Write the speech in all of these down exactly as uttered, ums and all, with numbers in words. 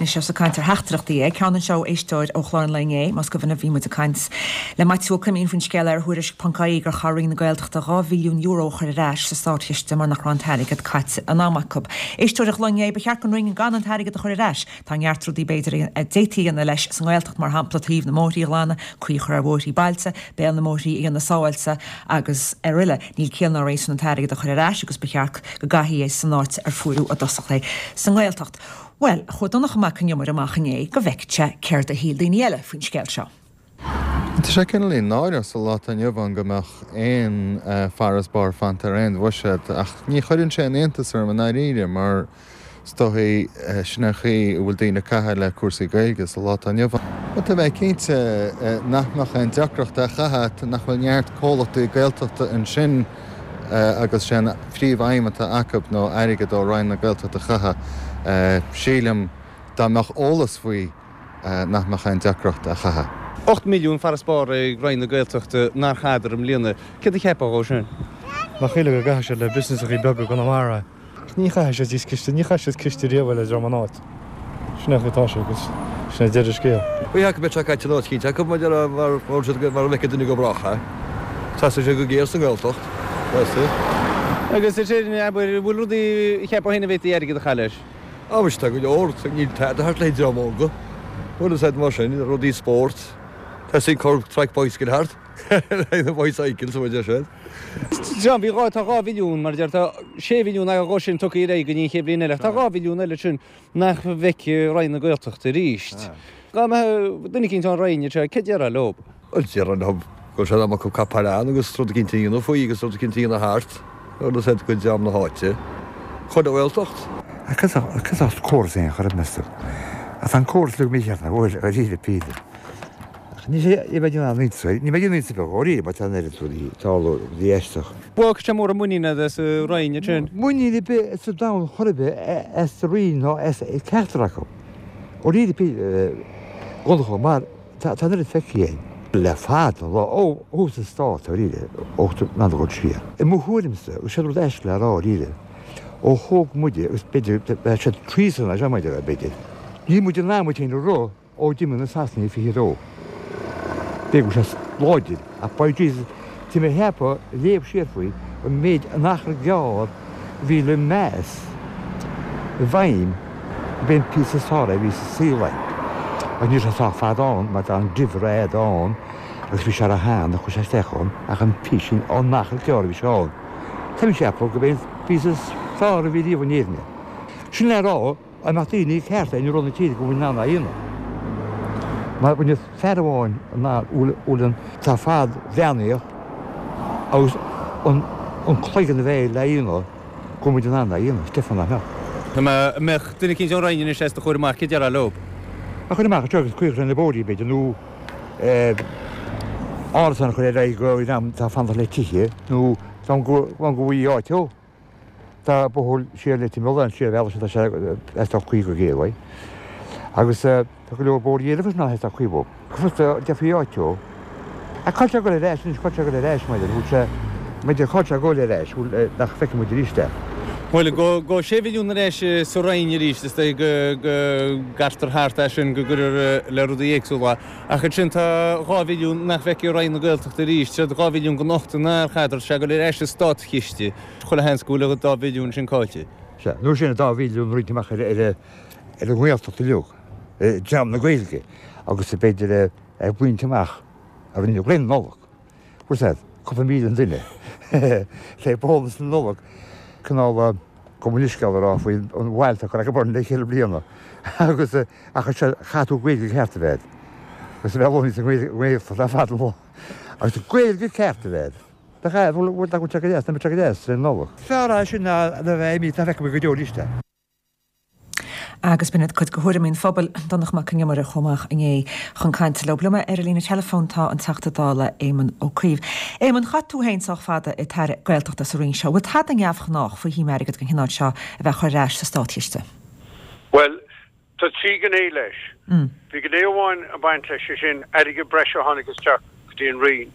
Anois ós ag caint ar theachtaireachtaí é, ceann anseo éisteoir ó chlár an lae inné, más cuimhin bhí muid ag caint le Maitiú Ó Coimín faoin scéal ar Thuairisc ponc ie gur chaith Roinn na Gaeltachta dhá mhilliún euro a chur ar ais sa státchiste mar nach raibh an t-airgead caite in am acu. Éisteoir a ghlaoigh inné, ba cheart don Roinn gan an t-airgead a chur ar ais. Tá neart rudaí b'fhéidir a d'fhéadfaí a dhéanamh leis sa nGaeltacht mar shampla taobh na mbóithrí a ghlanadh, caoi a chur ar bhóithrí bailte, béal na mbóithrí a dhéanamh sábháilte agus araile. Níl ciall ná réasún an t-airgead a chur ar ais agus ba cheart go gcaithfí é san áit ar fuaireadh i dtosach é sa nGaeltacht. Bhuel, chuaigh Donncha Mac Con Iomaire amach inné go bhfeicfeadh sé céard a shíl daoine eile faoin scéal seo. Tá sé cineál náireach sa lá atá inniu ann go mbeadh aon farasbarr fanta ar aon bhuiséad ach ní chuireann sé aon iontas orm i ndáiríre mar is dóigh sin an chaoi a bhfuil daoine ag caitheamh le cúrsaí Gaeilge sa lá atá inniu ann. Tá mé cinnte nach mbeadh aon deacracht a chaitheamh nach bhfuil neart comhlachtaí Gaeltachta ansin agus sé an phríomhaidhm atá acu ná airgead ó Roinn na Gaeltachta a chaitheamh. Sílim dá mbeadh eolas faoi nach mbeadh aon deacracht a chaitheamh. Ocht milliún farasbarr ag Roinn na Gaeltachta nár chaitheadar i mbliana. Céard a cheapfá dhó sin? Nach chéile go gcaithfidh siad le busneasachaí beaga Conamara. Ní chaithfidh siad ciste, ní chaith siad ciste riamh le dream an áit. Sin é atá sé agus sin é deireadh scéal. Bhí acu beidh sé caite an áit cinnte acu mar mar mar a bheadh duine go brách é. Teastaigh sé go géar sa nGaeltacht. Theastaigh. Agus is é abair bhfuil rudaí a cheapfá féin a bhféadfaí airgead a chaitheamh leis? Á tá go leor níl tada thart le dream óga. Bhfuil a mar sin rudaí spóirt. Teastaíonn cor traic bicycle thart. na bicycle sa bhfuil sin. John, bhí dhá tá dhá mhilliún mar deir tá sé mhilliún ag go sin tugtha ar aghaidh go dtí an chéad bhliain eile. Tá dhá mhilliún eile sin nach bhfeicfidh Roinn na Gaeltachta arís. Dá mbeadh duine eicínt ón Roinn anseo, céard a déarfá leo? Déarfainn leo go sé am acu capall agus rud eicínt a dhéanamh faoi agus rud eicínt a dhéanamh thart agus iad go dream na háite. Chuile Ghaeltacht. Cos córas é chur mestu. A an córas le mícheart na bhfuil a rí píle. Ní sé i bheith an ní bheidh an be rí ba tá tá dhéisteach. Bhuel sé mór muinín as Roinn sin. Muinín be sa da chorbe as rí ná as ceachtar acu. Ó rí go mar tá an feicthe le fada lá ó ó sa stát rí ó ná go siar. I mo thuairimse sé rud eis le rá ríre. Ó thóg muide agus b'fhéidir sé treason a maidir b'fhéidir. Ní muid an námuid féin rá ó d'imigh na Sasanaigh fiche dó. B'fhéidir sé láidir ach by Jesus tí mé cheapadh léamh siar faoi an méid an achar gearr bhí le meas i bhfeidhm b'é an píosa sára a bhí sa saol Ach ní sé sách fada ann mar tá an difréad ann agus bhí sé ar a hán a chuir sé isteach ann ach an písín an achar gearr a bhí sé ann. Tá mé ceapadh go b'é an píosa sára a bhí riamh in Éirinn. Sin le rá an mbeadh daoine cearta in rud na tíre go bhfuil ná aon. Mar bhaine fear amháin ná bhfuil tá fad bheannaíoch agus an an cloigeann a bheith le aon go muid an an aon Stefan nach Tá mbeadh duine eicínt ón Roinn anois os do chomhair amach céard a déarfá leo. A chur amach agus cuir na bóithrí b'fhéidir nó árasán chur ar aghaidh go am tá fanacht le tithe nó go go bhfuil áit ó. Tá bóthar siar le Timol siar bhealach tá sé tá cuí go géar Agus tá go leor bóithrí eile ná tá cuí bó. Defaí áit ó. A cá go ar ais cá go ar ais maidir sé maidir cá go ar ais nach feice muid arís é. Bhuel go go sé mhilliún ar ais sa Roinn arís is é go go gcaitear thart é sin go gcuirtear le rudaí éagsúla. Ach sin tá dhá mhilliún nach bhfeicfidh Roinn na Gaeltachta arís, sé dhá mhilliún go nocht nár chaitheadar sé go ar ais sa státchiste. Chuile sheans go bhfuil dá mhilliún sin caillte. Se, nó sin dá mhilliún roinnte amach ar ar ar an nGaeltacht uilig, dream na Gaeilge agus b'fhéidir ar bhaint amach a rinne Roinn Nollag. Fuair cúpla míle duine le bónas na Nollag cineál go bhfuil a rá faoi an bhailte chu go le chéile bliana agus ach se chaú Gaeilge ceart a bheith. Agus bheith lóí san Ghaeltacht le fad lá. Agus Gaeilge ceart a bheith. Tá bhfuil go go deas, go deas le Nollag. Fearr sin ná a bheith mí tá feic go deo arís. Agus b'in cuid de thuairimí an phobail Donncha Mac Con Iomaire chomh maith inné chun cainte leo. Liom ar an líne teileafóin tá an Teachta Dála Éamon Ó Cuív. Éamon chaith tú féin sách fada i d'aire Gaeltachta sa Roinn seo, bhfuil tada neamhghnách faoi shuim airgid den chineál seo a bheith chur ar ais sa státchiste. Well, tá trí ghné leis. Bhí gné amháin a baint leis sé sin airgead breise a tháinig isteach go dtí an Roinn.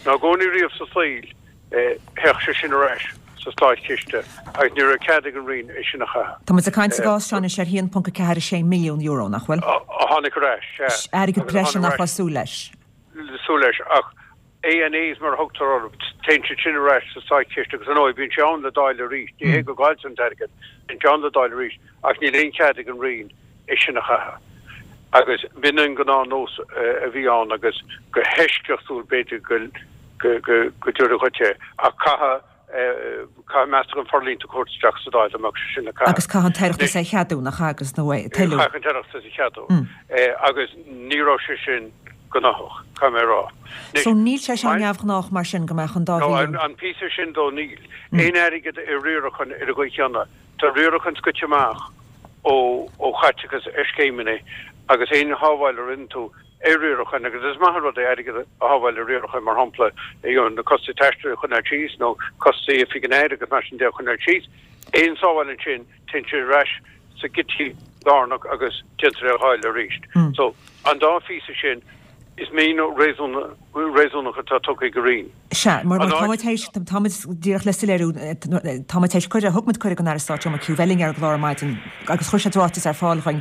Ná gcónaí riamh sa saol théadh sé sin ar ais sa státchiste agus ní raibh cead ag an Roinn é sin a chaitheamh. Tá muid ag caint sa gcás seo anois ar haon ponc a ceathair a sé milliún euro, nach bhfuil? A tháinig ar ais, sea. Airgead breise nach raibh súil leis. Súil leis, ach ANAs mar a thugtar orthu, téann siad sin ar ais sa státchiste agus ar ndóigh bíonn sé ann le dáileadh arís, ní hé go gcailltear an t-airgead, bíonn sé ann le dáileadh arís ach níl aon chead ag an Roinn é sin a chaitheamh. Agus b'in an gnáthnós a bhí ann agus go heisceachtúil b'fhéidir go go go dtabharfaí dhuit é ach caithfidh caithfidh meastachán forlíonta a thabhairt isteach sa Dáil dá mbeadh sé sin le caitheamh. Agus caithfidh an tOireachtas é a cheadú, nach ea, agus nó é toiliú. Caithfidh an tOireachtas a cheadú agus ní raibh sé sin gnóthach, caithfidh mé a rá. So níl sé seo neamhghnách mar sin go mbeadh an dá mhilliún. No, an píosa sin dó níl. Aon airgead i riarachán ar an gcaoi chéanna. Tá riarachán scoite amach ó ó chaiteachas ar scéimeanna agus aon shábháil a rinne tú ar riarachán, agus is maith an rud é airgead a shábháil ar riarachán, mar shampla, you know, na costais taistil a choinneáil síos nó costais oifig an Aire agus mar sin de a choinneáil síos. Aon sábháil ansin, téann sé ar ais sa gcití lárnach agus déantar é a dháileadh arís. So, an dá phíosa sin, is míniú réasúnach atá tugtha ag an Roinn. Sea, mar tá muid théis, tá muid díreach le soiléiriú, tá muid théis cuireadh, thug muid cuireadh don Aire Stáit Joe McHugh bheith linn ar an gclár ar maidin agus chuir sé ráiteas ar fáil dhuinn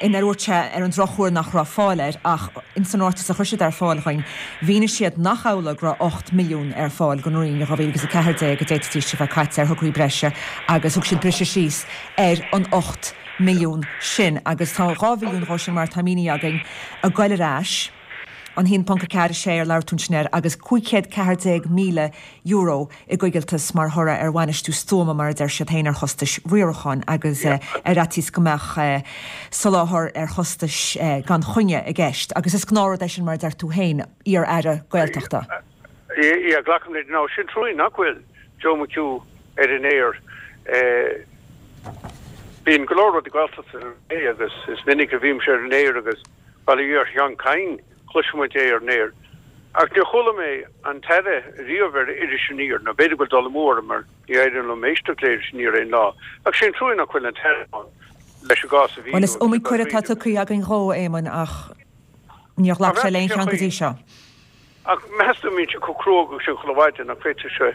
inar dhúirt sé ar an drochuair nach raibh fáil air ach ins an ráiteas a chuir siad ar fáil dhuinn mhínigh siad nach amhlaidh go raibh ocht milliún ar fáil don Roinn i dhá mhíle agus a ceathair déag a d'fhéadfaidís a bheith caite ar thograí breise agus thug siad briseadh síos ar an ocht milliún sin agus tá dhá mhilliún dhó sin mar atá mínithe againn ag goil ar ais, an haon ponc a ceathair a sé ar labhair tú ansin air agus cúig chéad ceathair déag míle euro i gcoigilteas mar thoradh ar bhainistiú stuama mar a deir siad féin ar chostais riaracháin agus ar fhaitíos go mbeadh soláthar ar chostais gan choinne i gceist agus is gnáthrud é sin mar a deir tú féin, iar-aire Gaeltachta. Yeah, glacaim leis. Now, sin trua nach bhfuil Joe McHugh ar an aer. Bíonn go leor rudaí Gaeltachta ar an aer agus is minic a bhímse ar an aer agus bail ó Dhia ar Sheán Kyne, cloiseann muid é ar an aer. Ach níor chuala mé an tAire riamh ar Iris Aniar, nó b'fhéidir go bhfuil dul amú orm mar ní éiríonn liom éisteacht le Iris Aniar aon lá. Ach sé an trua nach bhfuil an tAire ann leis an gcás a mhíniú. Bhuel, is iomaí cuireadh atá tugtha againn dhó, a Éamoinn, ach níor ghlac sé le aon cheann go dtí seo. Ach meas tú an mbíonn sé chomh cruógach sin chuile mhaidin nach bhféadfadh sé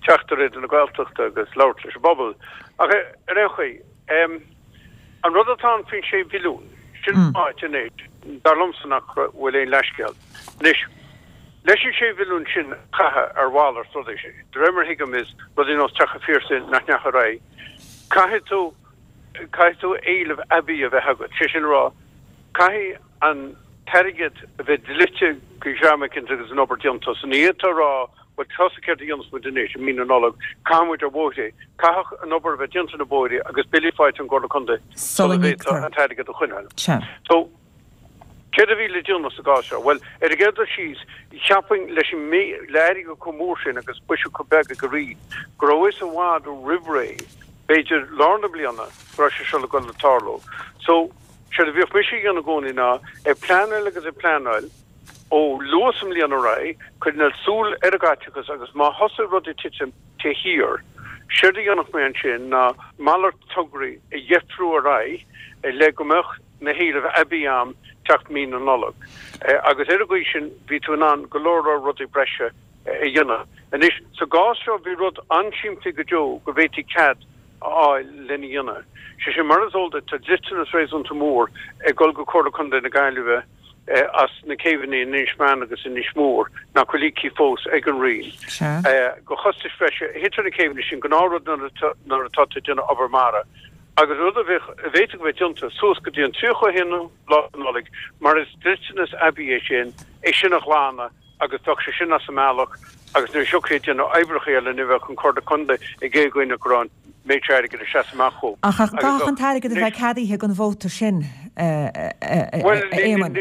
teacht ar Raidió na Gaeltachta agus labhairt leis an bpobal. Ach ar aon chaoi, an rud atá ann faoin sé mhilliún, sin an áit anois, dar liomsa nach bhfuil aon leithscéal. Anois, leis an sé mhilliún sin a chaitheamh ar mhalairt rudaí, de réir mar a thuigim is rudaí nós Teach an Phiarsaigh nach ndeachaigh ar aghaidh, caithfidh tú, caithfidh tú éileamh aibí a bheith agat, sé sin a rá, caithfidh an t-airgead a bheith dlite go dhream éicint agus an obair déanta. So ní fhéadfá a rá, bhuel, tusa céard a dhéanfas muid anois i mí na Nollag, caithfidh muid ar bhóithre. Caithfidh an obair a bheith déanta ar na bóithre agus billí faighte ón gComhairle Contae sula bhféadfá an t-airgead a choinneáil. So, céard a bhí le déanamh sa gcás seo? Bhuel, ar an gcéad dul síos, cheapfainn leis an le airgead chomh mór sin agus buiséad chomh beag ag an Roinn, go raibh a fhios i bhfad roimh ré, b'fhéidir lár na bliana, go raibh sé seo le dul le tarlú. So, Séard a bhíodh mise a dhéanamh i gcónaí ná ag pleanáil agus ag pleanáil ó luath sa mbliain ar aghaidh, coinneáil súil ar an gcaiteachas agus má thosaigh rud ag titim taobh thiar, séard a dhéanfadh mé ansin ná malairt tograí a dheifriú ar aghaidh le go mbeadh na héilimh aibí am teacht mí na Nollag. Agus ar an gcaoi sin bhí tú in ann go leor leor rudaí breise a dhéanamh. Anois, sa gcás seo bhí rud an-simplí go deo go bhféadfaí cead a fháil lena dhéanamh. Sé sin, mar is eol duit, tá dliteanas réasúnta mór ag dul go Comhairle Contae na Gaillimhe as na céibheanna in Inis Meáin agus Inis Mór nach bhfuil íoctha fós ag an Roinn. Go chostais bhreise a thit ar na céibheanna sin, gnáthrud nuair atá tú ag déanamh obair mara, agus rud a bheadh, a bhféadfadh a bheith déanta suas go dtí an tríocha a haon lá de Nollaig, mar is dliteanas aibí é sin, é sin a ghlanadh. agus bheadh sé sin as an mbealach agus nuair a thiocfaí ag déanamh oibreacha eile ní bheadh an Comhairle Contae ag éagaoineadh go raibh an méid seo airgid ag seasamh amach chucu. Ach caithfidh an t-airgead a bheith ceadaithe don vóta sin, a Éamoinn.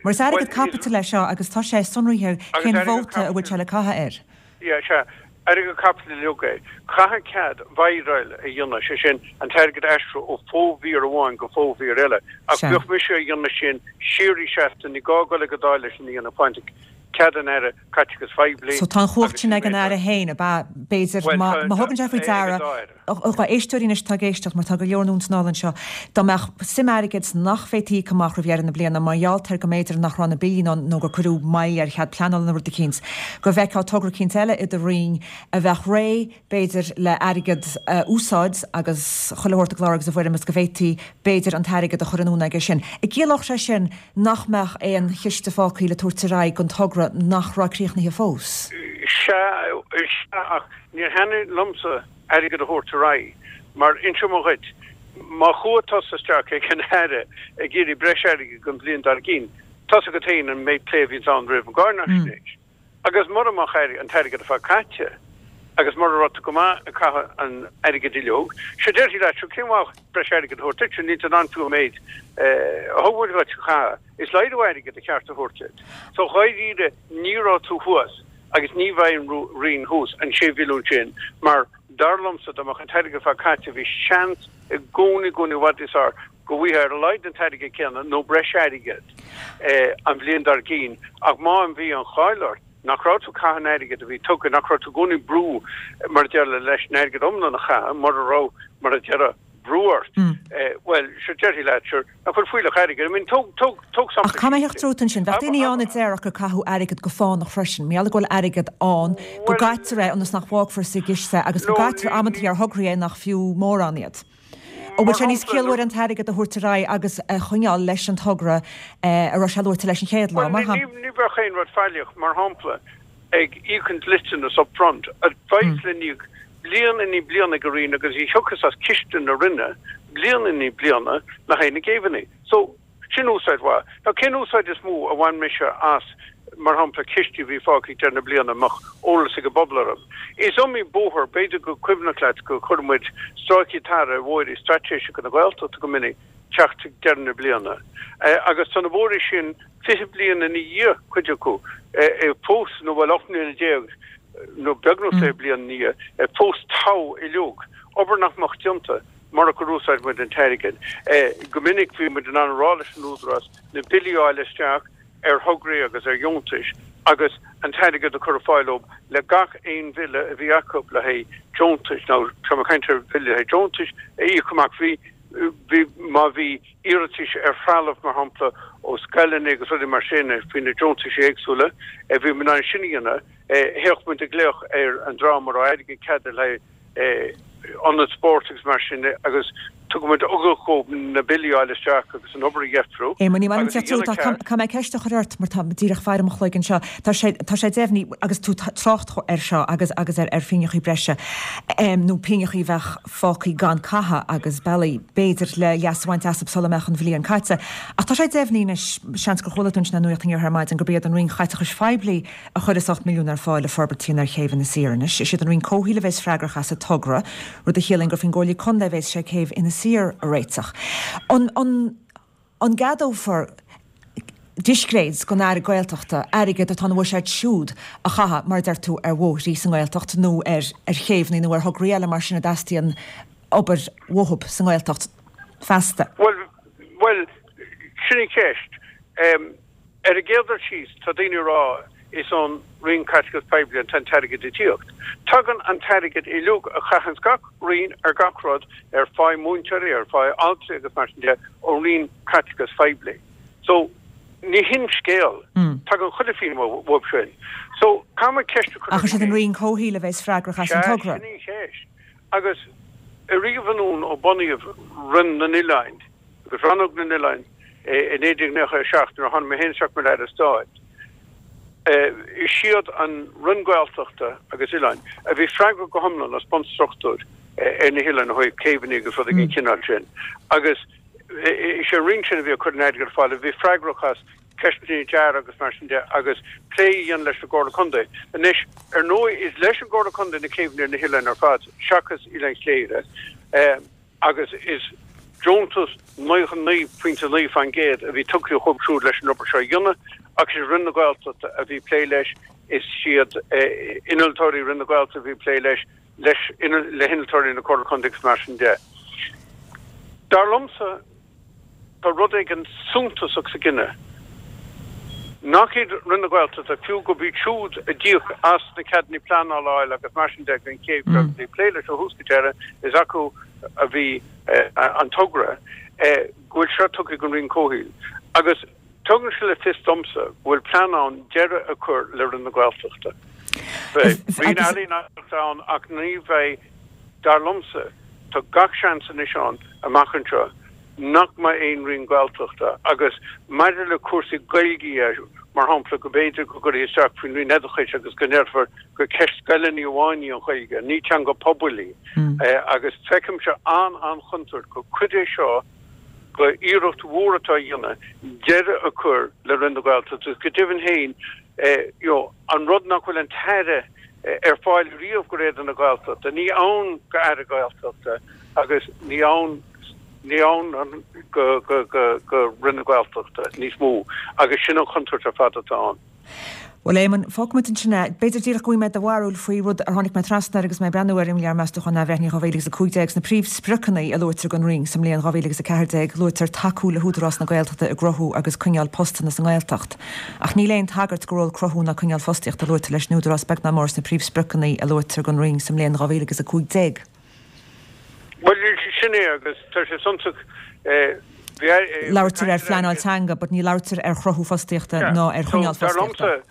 Mar is airgead caipitil é seo agus tá sé sonraithe cén vóta a bhfuil sé le caitheamh air. Yeah, sea. Airgead caipitil uilig é. Caithfidh cead viral a dhéanamh, sé sin, an t-airgead a aistriú ó fho-mhír amháin go fo-mhír eile. Ach bheadh mise a dhéanamh sin síoraí seasta, ní gá dul ag an Dáil leis sin a dhéanamh, pointe. cead an Aire Caiteachais Phoiblí. So tá an chumhacht sin ag an Aire féin, ab ea? B'fhéidir má thugann sé faoi deara, a éisteoirí anois atá ag éisteacht, mar tá go leor anonn is anall anseo, dá mbeadh suim airgid nach bhféadfaí íoc amach roimh dheireadh na bliana mar gheall ar go mb'fhéidir nach raibh na billí nó nó gur cuireadh moill ar chead pleanála nó rud eicínt, go bhfeicfeá togra eicínt eile i do roinn a bheadh réidh, b'fhéidir, le airgead a úsáid agus chuile shórt i gclár agus i bhfoirm is go bhféadfaí, b'fhéidir, an t-airgead a chur anonn aige sin. An gciallódh sé sin nach mbeadh aon chiste fágtha le tabhairt ar aghaidh don togra nach raibh críochnaithe fós? Sea, sea, ach níor thaitnigh liomsa airgead a thabhairt ar aghaidh, mar inseoidh mé dhuit, má chuaigh tusa isteach ag an Aire ag iarraidh breis airgid don bhliain dár gcionn, tá's agat féin an méid plé a bhíonns ann roimh an gcáinaisnéis. Agus mura mbeadh an t-airgead ar fad caite, agus mura raibh tú go maith ag caitheamh an airgid uileag, sea déarfaí leat, sure cén mhaith breis airgid a thabhairt duit, níl tú in ann fiú an méid a thug muid dhuit a chaitheamh, is laghdú airgid ba cheart a thabhairt duit. So dháiríre ní raibh tú thuas agus ní bheidh an Roinn thuas an sé mhilliún sin mar dar liomsa dá mbeadh an t-airgead ar fad caite bhí seans i gcónaí i gcónaí i bhfad níos fearr go bhfaighfeá ar a laghad an t-airgead céanna nó breis airgid an bhliain dár gcionn ach má bhí an cháil ort nach raibh tú ag caitheamh an airgid a bhí tugtha, nach raibh tú i gcónaí ag brú mar a déarfá leis an airgead iomlán a chaitheamh mura raibh mar a déarfá brú ort. Bhuel, sure déarfaí leat, sure, nach bhfuil fuílleach airgid, I mean, tóg, tóg, tóg Ach sampla caithfidh mé simplí. theacht tríot ansin. Bheadh daoine ann a déarfadh gur caitheadh airgead go fánach freisin. Mar gheall go bhfuil airgead ann, go Bhuel, gcaitear é ionas nach bhfágfar sa gciste agus go no, gcaitear ní, amantaí ní, ar thograí é nach fiú mórán iad. An bhfuil mar sé níos shampla, ciallmhaire nuair, an t-airgead a thabhairt ar aghaidh agus a choinneáil leis an togra a raibh sé luaite leis an chéad lá, bhuel, mar ní, shampla? ní, ní bheadh aon rud faillíoch, mar shampla, ag íoc an dliteanas up front, a bheas le n-íoc bliain i ndiaidh bliana ag an Roinn agus a thiocfas as ciste na Roinne bliain i ndiaidh bliana le haghaidh na gcéibheanna. So, sin úsáid mhaith. Now, cén úsáid is mó a bhain mise as, mar shampla, cistí a bhí fágtha ag deireadh na bliana a mbeadh eolas ag an bpobal orthu? Is iomaí bóthar, b'fhéidir gur cuimhneach leat gur chuir muid stráicí tarra ar bhóithre straitéiseacha na Gaeltachta go minic teacht ag deireadh na bliana. Agus tá na bóithre sin fiche bliain ina dhiaidh, cuid acu, fós, nó bhuel, ocht mbliana déag, nó beagnach fiche bliain ina dhiaidh, fós togha uileag, obair nach mbeadh déanta murach gur úsáid muid an t-airgead. Go minic bhí muid in ann a rá leis an Údarás na billí a fháil isteach ar thograí agus ar dheontais agus an t-airgead a chur ar fáil dóibh le gach aon bhille a bhí acu le haghaidh deontais, nó tá mé ag caint ar bhille le haghaidh deontais a íoc amach. Bhí, bhí, má bhí iarratais ar threalamh, mar shampla, ó scoileanna agus rudaí mar sin faoi na deontais éagsúla, bhí muid in ann sin a dhéanamh. Théadh muid ag glaoch ar an dream a raibh airgead ceadaithe le haghaidh ionad spóirt agus mar sin de agus tugadh muid ugach dhóibh na billí a fháil isteach agus an obair a dheifriú Éamonn, ní maith liom agus a teacht tríot dhéanamh ach ceart. caithfidh mé ceist a chur ort mar tá díreach faire mo chloig anseo. Tá sé, tá sé deimhnithe agus tú trácht air seo agus agus ar ar phingneachaí breise nó pingneachaí a bheadh fágtha gan caitheamh agus bealaí b'fhéidir le leas a bhaint astu sula mbeadh an bhliain caite. Ach tá sé deimhnithe anois, seans gur chuala tú ansin an nuacht inniu ar maidin, gurb iad an Roinn Chaiteachais Phoiblí a chuirfeas ocht milliún ar fáil le forbairtí ar chéibh Inis Oírr anois. Is iad an Roinn Comhshaoil a bheas freagrach as an togra, rud a chiallaíonn gur faoin gComhairle Contae a bheas sé céibh Inis Oírr a réiteach. An, an, an gceadófar discréid don Aire Gaeltachta airgead atá ina bhuiséad siúd a chaitheamh, mar a deir tú, ar bhóithrí sa nGaeltacht nó ar ar chéibheanna nó ar thograí eile mar sin a dteastaíonn obair uathu sa nGaeltacht feasta? Bhuel, bhuel, sin an cheist. Ar an gcéad dul síos, tá daoine ag rá is ón Roinn Caiteachais Poiblí atá an t-airgead ag tíocht. Tagann an t-airgead uilig a chaitheanns gach roinn ar gach rud, ar pháigh múinteoirí, ar pháigh altraí agus mar sin de, ón Roinn Caiteachais Phoiblí. So, ní hin scéal. Tagann chuile phingin uathu sin. So, caithfidh muid ceist a chur Ach is orainn iad an féin. Roinn Comhshaoil a bheas freagrach as an Sea, togra. sin í an cheist. Agus ariamh anonn ó bunaíodh Roinn na nOileán, agus Rannóg na nOileán i naoi déag nócha a seacht nuair a tháinig mé féin isteach mar Aire Stáit, is iad an Roinn Gaeltachta agus Oileáin a bhí freagrach go hiomlán as bunstruchtúr ar na hoileáin ó thaobh céibheanna agus rudaí den chineál sin agus is é an Roinn sin a bhí ag cur an airgid ar fáil a bhí freagrach as ceisteanna dearaidh agus mar sin de agus plé a dhéanamh leis an gComhairle Contae. Anois, ar ndóigh, is leis an gComhairle Contae na céibheanna ar na hoileáin ar fad seachas Oileán Chléire. agus is deontas naocha naoi pointe naoi faoin gcéad a bhí tugtha dhóibh siúd leis an obair seo a dhéanamh agus is Roinn na Gaeltachta a bhí ag plé leis, is iad innealtóirí Roinn na Gaeltachta a bhí ag plé leis, leis le hinnealtóirí na Comhairle Contae agus mar sin de. Dar liomsa, tá rud éigin suntasach sa gcinneadh Nach iad Roinn na Gaeltachta, fiú gurb iad siúd a d'íoc as na ceadanna pleanála a fháil agus mar sin de den chéad mm. ag plé leis ó thús go deireadh, is acu a bhí an togra, go bhfuil seo tugtha don Roinn Comhshaoil. Agus tugann sé le fios domsa go bhfuil plean ann deireadh a chur le Roinn na Gaeltachta. Beidh Roinn Ealaíon ann ach ní bheidh, dar liomsa, tá gach seans anois ann amach anseo nach mbeidh aon Roinn Gaeltachta agus maidir le cúrsaí Gaeilge mar shampla go b'fhéidir go gcuirfí isteach faoin Roinn Oideachais agus go ndéarfar gur ceist scoileanna amháin í an Ghaeilge, ní teanga pobail í. Agus feicimse an-an-chontúirt gur cuid é seo de iarracht mhór atá á dhéanamh deireadh a chur le Roinn na Gaeltachta agus go deimhin féin you know an rud nach bhfuil an tAire ar fáil riamh go Aire na Gaeltachta, ní ann go Aire Gaeltachta agus ní ann ní ann go go go go Roinn na Gaeltachta níos mó agus sin an chontúirt ar fad atá ann. Bhuel, Éamonn, fágfaidh muid ansin é. B'fhéidir díreach go bhfaighidh mé do bharúil faoi rud ar tháinig mé trasna air agus mé ag breathnú ar Imleabhar Meastachán Athbhreithnithe dhá mhíle agus a cúig déag. Sna príomhspriocanna a luaitear don Roinn sa mbliain dhá mhíle agus a ceathair déag, luaitear tacú le hÚdarás na Gaeltachta i gcruthú agus coinneáil postanna sa nGaeltacht. Ach níl aon tagairt go ról cruthú ná coinneáil fostaíochta luaite leis an Údarás beag ná mór sna príomhspriocanna a luaitear don Roinn sa mbliain dhá mhíle agus a cúig déag. Bhuel, sin é agus tá sé suntasach. Labhartar ar phleanáil teanga, but ní labhartar ar chruthú fostaíochta ná ar choinneáil fostaíochta.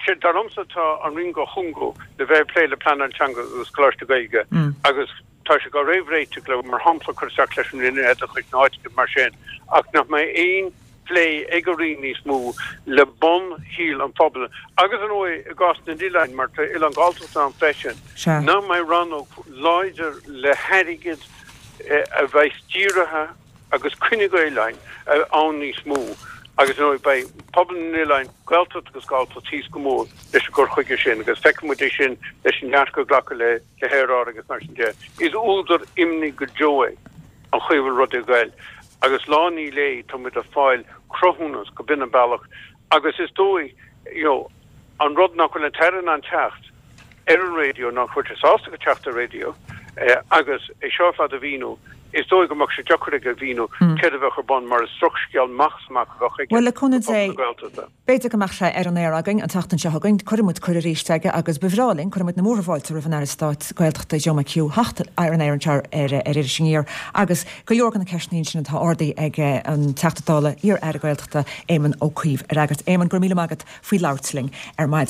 Dar liomsa tá an Roinn á chúngú le bheith ag plé le pleanáil teanga agus Coláiste Gaeilge agus tá sé á réamhréiteach le mar shampla cur isteach leis an Roinn Oideachais nó áit mar sin ach nach mbeidh aon plé ag an Roinn níos mó le bunshaol an phobail agus ar ndóigh i gcás na n-oileán mar tá oileán Galltachta ann freisin nach mbeidh rannóg láidir le hairgead a bheidh dírithe agus coinne go oileáin ann níos mó agus ar ndóigh beidh pobal na n-oileán, Gaeltacht agus Galltacht thíos go mór leis an gcur chuige sin agus feicfidh muid é sin leis an dearcadh a glacadh le haeráid agus mar sin de. Is údar imní go deo é an chaoi a bhfuil rudaí ag goil agus lá i ndiaidh lae tá muid ag fáil cruthúnas go b'in an bealach agus is dóigh you know an rud nach bhfuil an tAire in ann teacht ar an raidió, nach bhfuil sé sásta go teacht ar raidió agus é seo ar fad a mhíniú, is dóigh go mbeadh sé deacair aige a mhíniú céard a bheadh ar bun mar is drochscéal amach is amach a bheadh aige Bhuel, le do cúnamh phobal Dé, na Gaeltachta. b'fhéidir go mbeadh sé ar an aer againn an tseachtain seo chugainn. Cuirfidh muid cuireadh arís aige agus ba bhreá linn, cuirfidh muid na múrtha fáilte roimh an Aire Stáit Gaeltachta Joe McHugh theacht ar an aer anseo ar Iris Aniar agus go leor de na ceisteanna sin atá ardaithe ag an Teachta Dála, iar-Aire Gaeltachta Éamon Ó Cuív a fhreagairt. Éamon, go raibh míle maith agat faoi labhairt linn ar maidin.